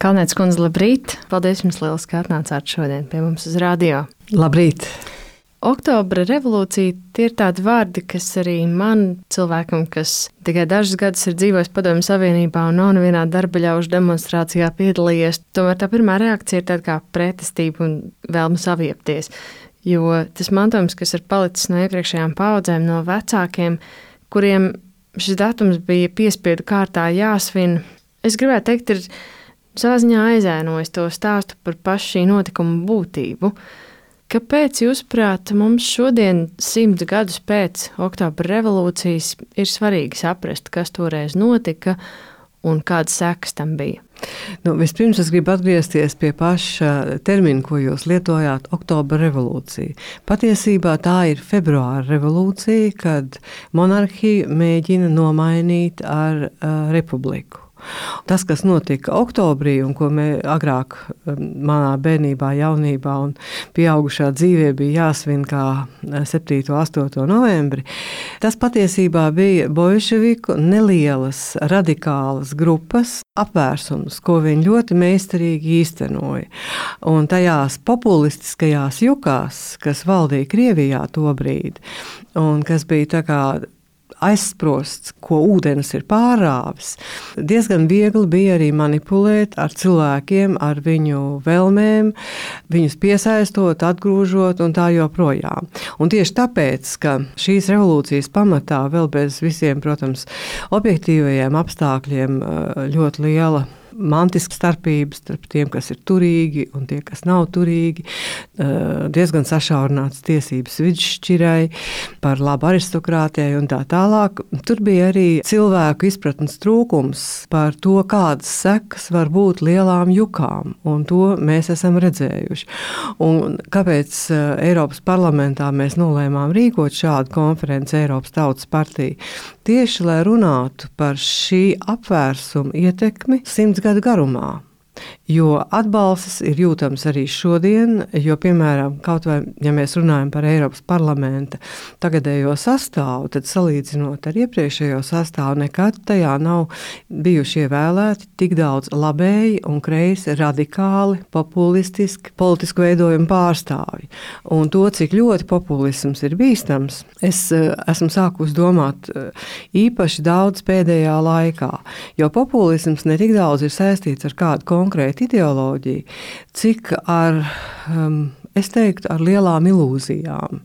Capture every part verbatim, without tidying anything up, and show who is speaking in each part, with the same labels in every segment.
Speaker 1: Kalnietes kundze, labrīt! Paldies jums liels, ka atnācāt šodien pie mums uz radio.
Speaker 2: Labrīt!
Speaker 1: Oktobra revolūcija tie ir tādi vārdi, kas arī man, cilvēkam, kas tikai dažus gadus ir dzīvojis Padomju Savienībā un nav nevienā darbaļaužu demonstrācijā piedalījies, tomēr tā pirmā reakcija ir tāda kā pretestība un vēlme saviepties. Jo tas mantojums, kas ir palicis no iepriekšējām paudzēm, no vecākiem, kuriem šis datums bija piespiedu kārtā jāsvin, es gribētu teikt, ir savā ziņā aizēnojis to stāstu par pašu šī notikuma būtību. Kāpēc, jūsuprāt, mums šodien, simts gadus pēc Oktobra revolūcijas, ir svarīgi saprast, kas toreiz notika un kādas sekas tam bija?
Speaker 2: Nu, vispirms es gribu atgriezties pie paša termina, ko jūs lietojāt - Oktobra revolūcija. Patiesībā tā ir februāra revolūcija, kad monarhiju mēģina nomainīt ar uh, republiku. Tas, kas notika oktobrī un ko mēs agrāk manā bērnībā, jaunībā un pieaugušā dzīvē bija jāsvin kā septīto un astoto novembri, tas patiesībā bija bolševiku nelielas radikālas grupas apvērsums, ko viņi ļoti meistarīgi īstenoja. Un tajās populistiskajās jukās, kas valdīja Krievijā tobrīd un kas bija tā kā aizsprosts, ko ūdens ir pārāvis, diezgan viegli bija arī manipulēt ar cilvēkiem, ar viņu vēlmēm, viņus piesaistot, atgrūžot un tā joprojām. Un tieši tāpēc, ka šīs revolūcijas pamatā vēl bez visiem, protams, objektīvajiem apstākļiem ļoti liela mantiska starpības starp tiem, kas ir turīgi un tie, kas nav turīgi, diezgan sašaurināts tiesības vidšķirai, par labu aristokrātijai un tā tālāk. Tur bija arī cilvēku izpratnes trūkums par to, kādas sekas var būt lielām jukām, un to mēs esam redzējuši. Un kāpēc Eiropas parlamentā mēs nolēmām rīkot šādu konferenci Eiropas Tautas partija? Tieši, lai runātu par šī apvērsuma ietekmi simts gadu garumā. Jo atbalsts ir jūtams arī šodien, jo, piemēram, kaut vai, ja mēs runājam par Eiropas parlamenta tagadējo sastāvu, tad salīdzinot ar iepriekšējo sastāvu, nekad tajā nav bijuši ievēlēti tik daudz labēji un kreisi, radikāli, populistiski, politisku veidojumu pārstāvji. Un to, cik ļoti populisms ir bīstams, es esmu sākus domāt īpaši daudz pēdējā laikā, jo populisms ne tik daudz ir saistīts ar kādu konkrētu ideoloģiju, cik ar, um, es teiktu, ar lielām ilūzijām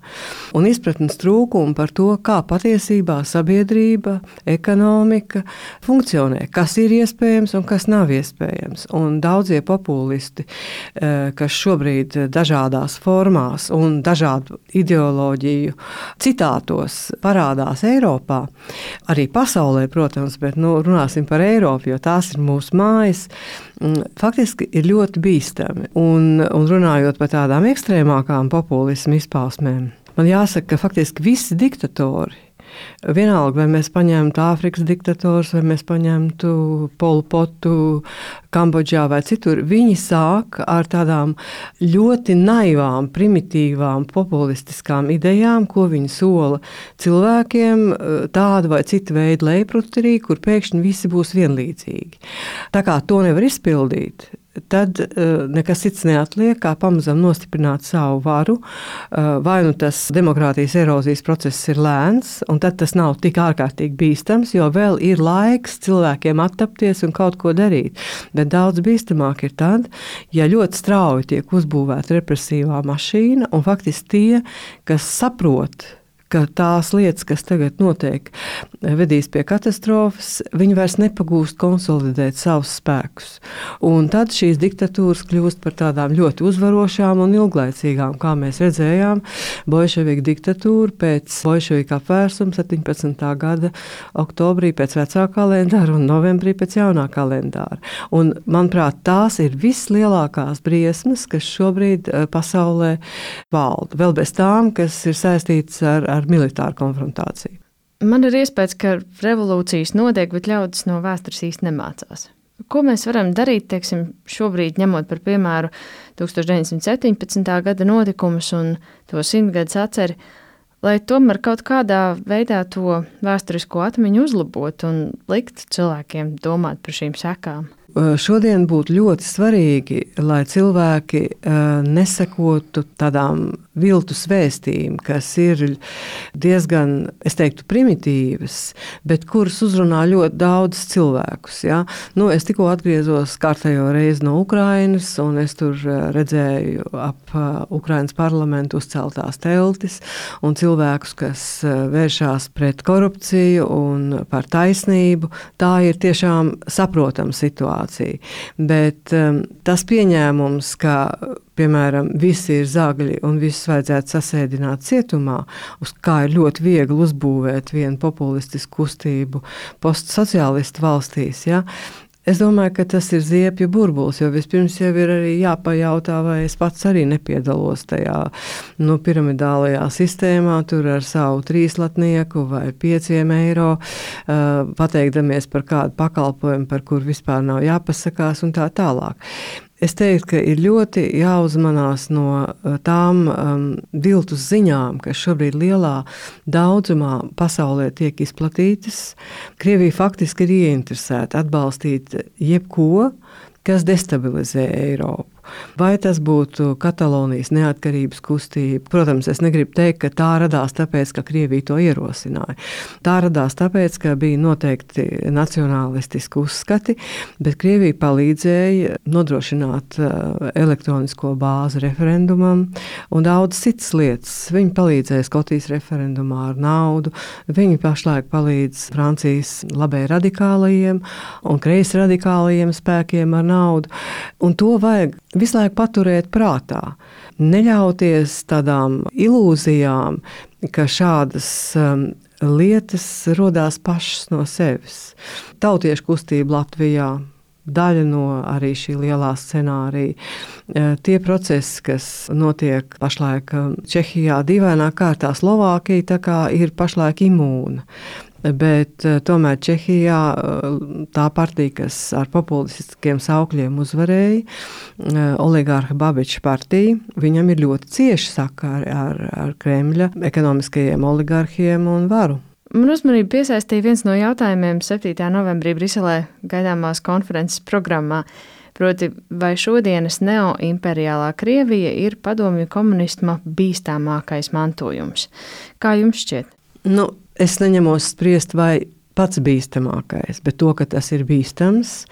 Speaker 2: un izpratnes trūkumu par to, kā patiesībā sabiedrība, ekonomika funkcionē, kas ir iespējams un kas nav iespējams. Un daudzie populisti, kas šobrīd dažādās formās un dažādu ideoloģiju citātos parādās Eiropā, arī pasaulē, protams, bet nu, runāsim par Eiropu, jo tās ir mūsu mājas, faktiski ir ļoti bīstami. Un, un runājot par tādām ekstrēmākām populismu izpausmēm, man jāsaka, ka faktiski visi diktatori, vienalga, vai mēs paņemtu Āfrikas diktators, vai mēs paņemtu Polu Potu Kambodžā vai citur, viņi sāk ar tādām ļoti naivām, primitīvām, populistiskām idejām, ko viņi sola cilvēkiem tādu vai citu veidu lejpruterī, kur pēkšņi visi būs vienlīdzīgi. Tā kā to nevar izpildīt, tad uh, nekas cits neatliek, kā pamazam nostiprināt savu varu. Uh, vai nu tas demokrātijas erozijas process ir lēns, un tad tas nav tik ārkārtīgi bīstams, jo vēl ir laiks cilvēkiem attapties un kaut ko darīt. Bet daudz bīstamāk ir tad, ja ļoti strauji tiek uzbūvēta represīvā mašīna, un faktiski tie, kas saprot, ka tās lietas, kas tagad notiek, vedīs pie katastrofas, viņi vairs nepagūst konsolidēt savus spēkus. Un tad šīs diktatūras kļūst par tādām ļoti uzvarošām un ilglaicīgām, kā mēs redzējām, bolševiku diktatūra pēc bolševiku apvērsuma septiņpadsmitā gada oktobrī pēc vecā kalendāra un novembrī pēc jaunā kalendāra. Un, manuprāt, tās ir vislielākās briesmas, kas šobrīd pasaulē valda. Vēl bez tām, kas ir saistītas ar, ar militāru konfrontāciju.
Speaker 1: Man ir iespējas, ka revolūcijas notiek, bet ļaudis no vēstures īsti nemācās. Ko mēs varam darīt, teiksim, šobrīd ņemot par piemēru tūkstoš deviņsimt septiņpadsmitā gada notikumus un to simtgadus atceri, lai tomēr kaut kādā veidā to vēsturisko atmiņu uzlabot un likt cilvēkiem domāt par šīm sekām?
Speaker 2: šodien būtu ļoti svarīgi, lai cilvēki nesekotu tādām viltus vēstījumiem, kas ir diezgan, es teiktu, primitīvas, bet kuras uzrunā ļoti daudz cilvēkus. Ja? Nu, es tikko atgriezos kārtējo reizi no Ukrainas, un es tur redzēju ap Ukrainas parlamentu uzceltās teltis un cilvēkus, kas vēršās pret korupciju un par taisnību. Tā ir tiešām saprotama situācija. Bet um, tas pieņēmums, ka piemēram, visi ir zagļi un visus vajadzētu sasēdināt cietumā, uz kā ir ļoti viegli uzbūvēt vienu populistisku kustību postsociālistu valstīs. Ja? Es domāju, ka tas ir ziepju burbulis, jo vispirms jau ir arī jāpajautā, vai es pats arī nepiedalos tajā nu, piramidālajā sistēmā, tur ar savu trīslatnieku vai pieciem eiro, uh, pateikdamies par kādu pakalpojumu, par kur vispār nav jāpasakās un tā tālāk. Es teiktu, ka ir ļoti jāuzmanās no tām um, viltus ziņām, kas šobrīd lielā daudzumā pasaulē tiek izplatītas. Krievija faktiski ir ieinteresēta atbalstīt jebko, kas destabilizē Eiropu. Vai tas būtu Katalonijas neatkarības kustība? Protams, es negribu teikt, ka tā radās tāpēc, ka Krievija to ierosināja. Tā radās tāpēc, ka bija noteikti nacionālistiski uzskati, bet Krievija palīdzēja nodrošināt elektronisko bāzi referendumam un daudz citas lietas. Viņi palīdzēja Skotijas referendumā ar naudu, viņi pašlaik palīdz Francijas labai radikālajiem un kreisi radikālajiem spēkiem ar naudu. Un to vajag visu laiku paturēt prātā. Neļauties tādām ilūzijām, ka šādas um, lietas rodās pašas no sevis. Tautiešu kustība Latvijā, daļa no arī šī lielā scenārija. Tie procesi, kas notiek pašlaik Čehijā, dīvainā kārtā Slovākija tā kā ir pašlaik imūna. Bet tomēr Čehijā tā partija, kas ar populistiskiem saukļiem uzvarēja, oligārha Babiša partija, viņam ir ļoti cieši sakari ar, ar Kremļa ekonomiskajiem oligarhiem un varu.
Speaker 1: Man uzmanību piesaistīja viens no jautājumiem septītā novembrī Briselē gaidāmās konferences programmā. Proti, vai šodienas neoimperiālā Krievija ir padomju komunisma bīstamākais mantojums? Kā jums šķiet?
Speaker 2: Nu, es neņemos spriest, vai pats bīstamākais, bet to, ka tas ir bīstams,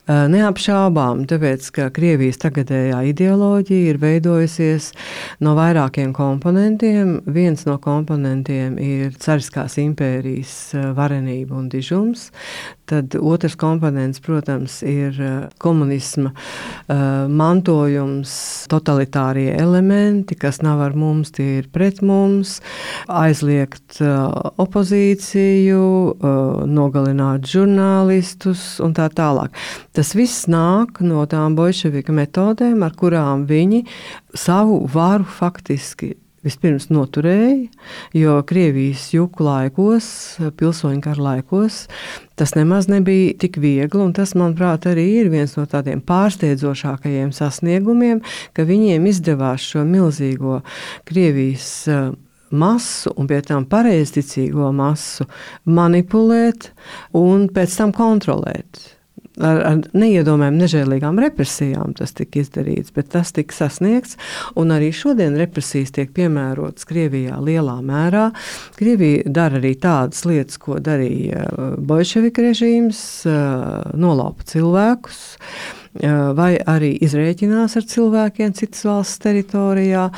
Speaker 2: neapšaubām, tāpēc, ka Krievijas tagadējā ideoloģija ir veidojusies no vairākiem komponentiem. Viens no komponentiem ir cariskās impērijas varenība un dižums. Tad otrs komponents, protams, ir komunisma mantojums, totalitārie elementi, kas nav ar mums, tie ir pret mums, aizliegt opozīciju, nogalināt žurnālistus un tā tālāk. Tas viss nāk no tām bolševika metodēm, ar kurām viņi savu varu faktiski vispirms noturēja, jo Krievijas juku laikos, pilsoņu kara laikos, tas nemaz nebija tik viegli, un tas, manuprāt, arī ir viens no tādiem pārsteidzošākajiem sasniegumiem, ka viņiem izdevās šo milzīgo Krievijas masu un pie tam pareizticīgo masu manipulēt un pēc tam kontrolēt. Ar, ar neiedomājām nežēlīgām represijām tas tika izdarīts, bet tas tika sasniegts, un arī šodien represijas tiek piemērotas Krievijā lielā mērā. Krievija dara arī tādas lietas, ko darīja bolševika režīms, nolaupa cilvēkus, vai arī izrēķinās ar cilvēkiem citas valsts teritorijā.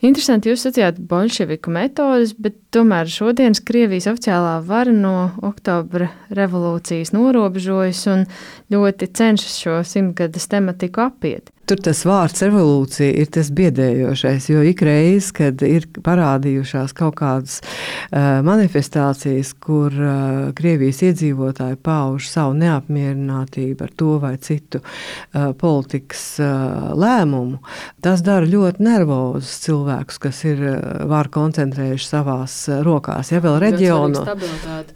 Speaker 1: Interesanti, jūs sacījāt bolševiku metodes, bet tomēr šodienas Krievijas oficiālā vara no oktobra revolūcijas norobežojas un ļoti cenšas šo simtgades tematiku apiet.
Speaker 2: Tur tas vārds revolūcija ir tas biedējošais, jo ikreiz, kad ir parādījušās kaut kādas uh, manifestācijas, kur uh, Krievijas iedzīvotāji pauž savu neapmierinātību ar to vai citu uh, politikas uh, lēmumu, tas dara ļoti nervozus cilvēkus, kas ir uh, var koncentrējuši savās uh, rokās. Ja vēl reģiono,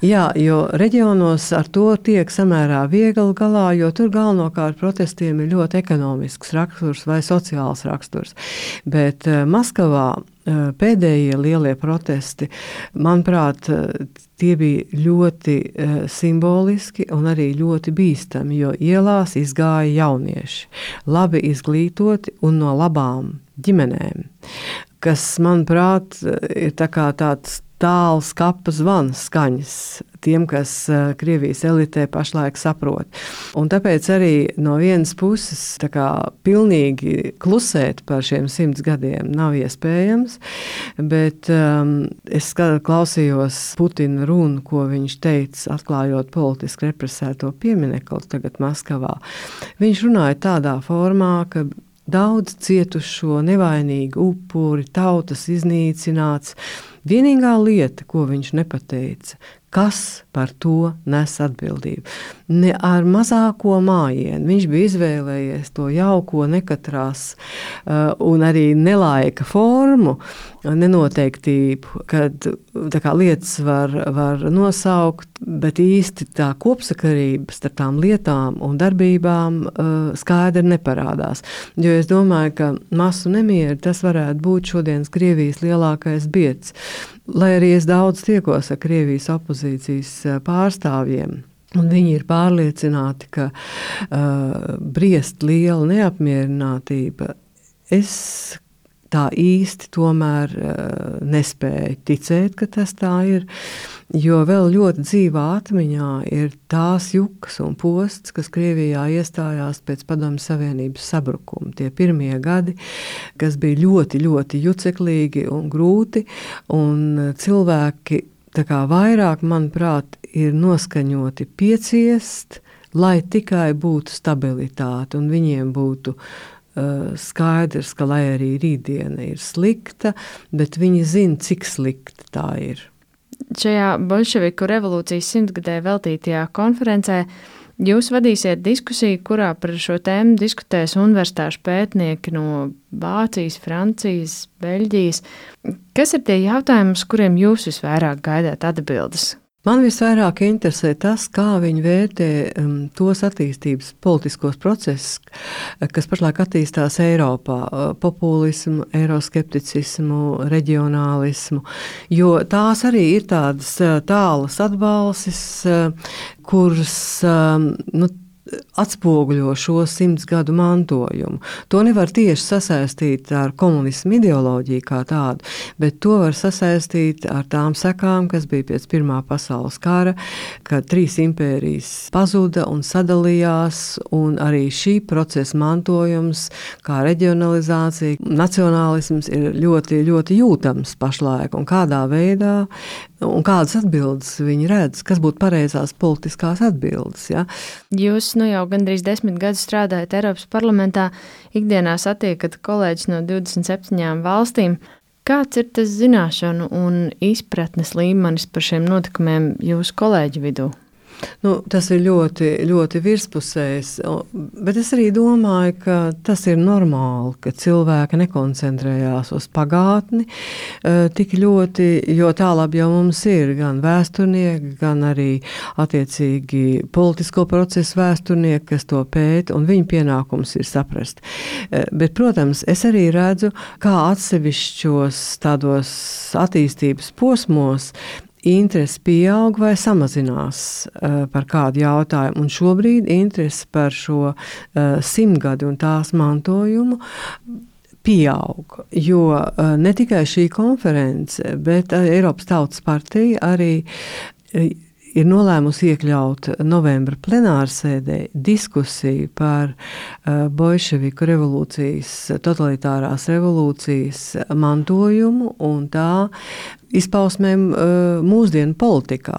Speaker 2: jā, jo reģionos ar to tiek samērā viegli galā, jo tur galvenokārt protestiem ir ļoti ekonomisks raksturs. raksturs vai sociāls raksturs. Bet Maskavā pēdējie lielie protesti, manuprāt, tie bija ļoti simboliski un arī ļoti bīstami, jo ielās izgāja jaunieši, labi izglītoti un no labām ģimenēm, kas, manuprāt, ir tā kā tāds tāls kapa zvans skaņas tiem, kas Krievijas elitē pašlaik saprot. Un tāpēc arī no vienas puses tā kā pilnīgi klusēt par šiem simts gadiem nav iespējams, bet um, es klausījos Putina runu, ko viņš teica, atklājot politiski represēto pieminekli tagad Maskavā. Viņš runāja tādā formā, ka daudz cietušo, nevainīgu upuri, tautas iznīcināts. Vienīgā lieta, ko viņš nepateica, kas par to nes atbildību. Ne ar mazāko mājienu. Viņš bija izvēlējies to jauko, nekatrās uh, un arī nelaika formu, nenoteiktību, kad tā kā lietas var, var nosaukt, bet īsti tā kopsakarība starp tām lietām un darbībām uh, skaidri neparādās. Jo es domāju, ka masu nemieri tas varētu būt šodienas Krievijas lielākais bieds. Lai arī es daudz tiekos ar Krievijas opozīcijas pārstāvjiem, un viņi ir pārliecināti, ka uh, briest liela neapmierinātība, es tā īsti tomēr uh, nespēju ticēt, ka tas tā ir, jo vēl ļoti dzīvā atmiņā ir tās jukas un posts, kas Krievijā iestājās pēc Padomju Savienības sabrukuma. Tie pirmie gadi, kas bija ļoti, ļoti juceklīgi un grūti, un cilvēki tā kā vairāk, manuprāt, ir noskaņoti pieciest, lai tikai būtu stabilitāte un viņiem būtu uh, skaidrs, ka lai arī rītdiena ir slikta, bet viņi zina, cik slikta tā ir.
Speaker 1: Šajā Boļševiku revolūcijas simtgadē veltītajā konferencē jūs vadīsiet diskusiju, kurā par šo tēmu diskutēs universitāšu pētnieki no Vācijas, Francijas, Beļģijas. Kas ir tie jautājumi, uz kuriem jūs visvairāk gaidāt atbildes?
Speaker 2: Man visvairāk interesē tas, kā viņi vērtē um, tos attīstības politiskos procesus, kas pašlaik attīstās Eiropā, populismu, eiroskepticismu, reģionālismu, jo tās arī ir tādas tālas atbalsis, kuras um, nu, atspoguļo šo simts gadu mantojumu. To nevar tieši sasaistīt ar komunismu ideoloģiju kā tādu, bet to var sasaistīt ar tām sekām, kas bija pēc Pirmā pasaules kara, kad trīs impērijas pazuda un sadalījās, un arī šī procesa mantojums, kā reģionalizācija, nacionālisms ir ļoti, ļoti jūtams pašlaik, un kādā veidā un kādas atbildes viņi redz, kas būtu pareizās politiskās atbildes. Ja?
Speaker 1: Jūs nu jau gandrīz desmit gadus strādājat Eiropas parlamentā, ikdienā satiekat kolēģis no divdesmit septiņām valstīm. Kāds ir tas zināšanu un izpratnes līmenis par šiem notikumiem jūsu kolēģu vidū?
Speaker 2: Nu, tas ir ļoti, ļoti virspusējs, bet es arī domāju, ka tas ir normāli, ka cilvēki nekoncentrējās uz pagātni tik ļoti, jo tālāk jau mums ir gan vēsturnieki, gan arī attiecīgi politisko procesu vēsturnieki, kas to pēta, un viņu pienākums ir saprast. Bet, protams, es arī redzu, kā atsevišķos tādos attīstības posmos interesi pieaug vai samazinās uh, par kādu jautājumu. Un šobrīd interesi par šo uh, simtgadi un tās mantojumu pieaug, jo uh, ne tikai šī konference, bet uh, Eiropas Tautas partija arī uh, ir nolēmusi iekļaut novembra plenārsēdē diskusiju par uh, Boļševiku revolūcijas, totalitārās revolūcijas mantojumu un tā izpausmēm uh, mūsdienu politikā.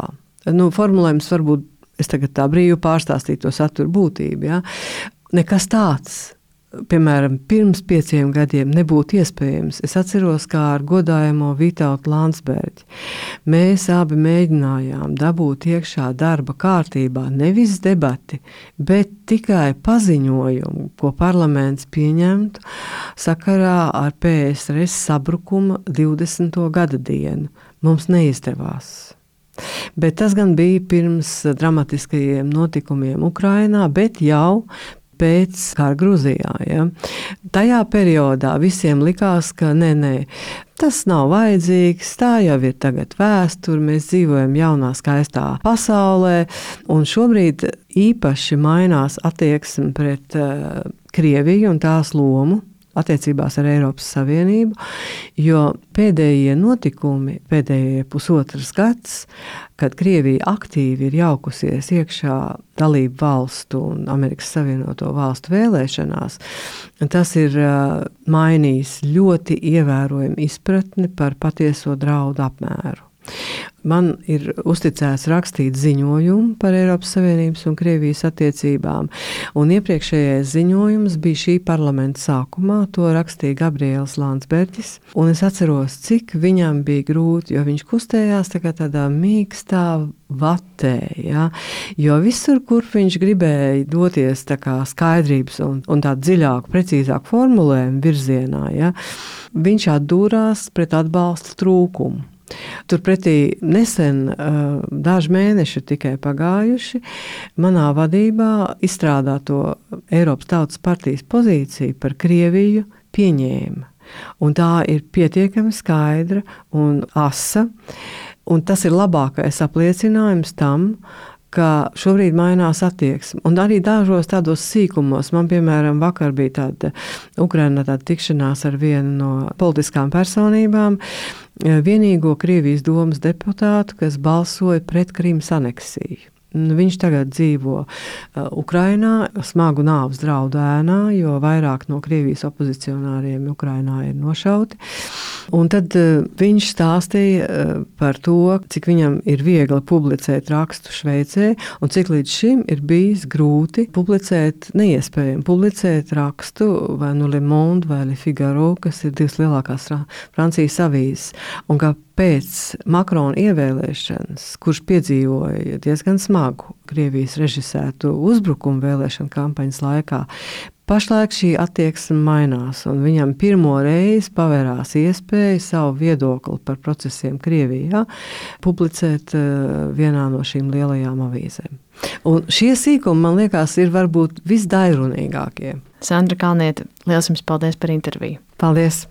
Speaker 2: Nu, formulējums varbūt, es tagad tā brīvi pārstāstītu to saturu būtību, ja? Nekas tāds, piemēram, pirms pieciem gadiem nebūtu iespējams. Es atceros, kā ar godājamo Vitautu Landsbergi. Mēs abi mēģinājām dabūt iekšā darba kārtībā nevis debati, bet tikai paziņojumu, ko parlaments pieņemtu sakarā ar P S R S sabrukuma divdesmito gada dienu. Mums neizdevās. Bet tas gan bija pirms dramatiskajiem notikumiem Ukrainā, bet jau pēc kara Grūzijā. Ja. Tajā periodā visiem likās, ka nē, nē, tas nav vajadzīgs, tā jau ir tagad vēsture, mēs dzīvojam jaunā skaistā pasaulē, un šobrīd īpaši mainās attieksme pret uh, Krieviju un tās lomu attiecībās ar Eiropas Savienību, jo pēdējie notikumi, pēdējie pusotras gads, kad Krievija aktīvi ir jaukusies iekšā dalību valstu un Amerikas Savienoto valstu vēlēšanās, tas ir uh, mainījis ļoti ievērojami izpratni par patieso draudu apmēru. Man ir uzticēts rakstīt ziņojumu par Eiropas Savienības un Krievijas attiecībām, un iepriekšējais ziņojums bija šī parlamenta sākumā, to rakstīja Gabriels Landsbergis, un es atceros, cik viņam bija grūti, jo viņš kustējās tā kā tādā mīkstā vatē, ja? Jo visur, kur viņš gribēja doties tā kā skaidrības un, un tā dziļāku, precīzāku formulējumu virzienā, ja? Viņš atdūrās pret atbalsta trūkumu. Turpretī nesen, daži mēneši tikai pagājuši, manā vadībā izstrādāto Eiropas Tautas partijas pozīciju par Krieviju pieņēma. Un tā ir pietiekami skaidra un asa, un tas ir labākais apliecinājums tam, ka šobrīd mainās attieksme. Un arī dažos tādos sīkumos. Man, piemēram, vakar bija tāda Ukrainā tāda tikšanās ar vienu no politiskām personībām, vienīgo Krievijas domas deputātu, kas balsoja pret Krimas aneksiju. Viņš tagad dzīvo Ukrainā, smagu nāves draudu ēnā, jo vairāk no Krievijas opozicionāriem Ukrainā ir nošauti. Un tad viņš stāstīja par to, cik viņam ir viegli publicēt rakstu Šveicē, un cik līdz šim ir bijis grūti publicēt, neiespējami publicēt rakstu vai nu Le Monde vai Le Figaro, kas ir divas lielākās Francijas avīzes. Un ka pēc Makrona ievēlēšanas, kurš piedzīvoja diezgan smagu Krievijas režisētu uzbrukumu vēlēšanu kampaņas laikā, pašlaik šī attieksme mainās, un viņam pirmo reizi pavērās iespēja savu viedokli par procesiem Krievijā publicēt vienā no šīm lielajām avīzēm. Un šie sīkumi, man liekas, ir varbūt visdairunīgākie.
Speaker 1: Sandra Kalniete, liels jums paldies par interviju.
Speaker 2: Paldies!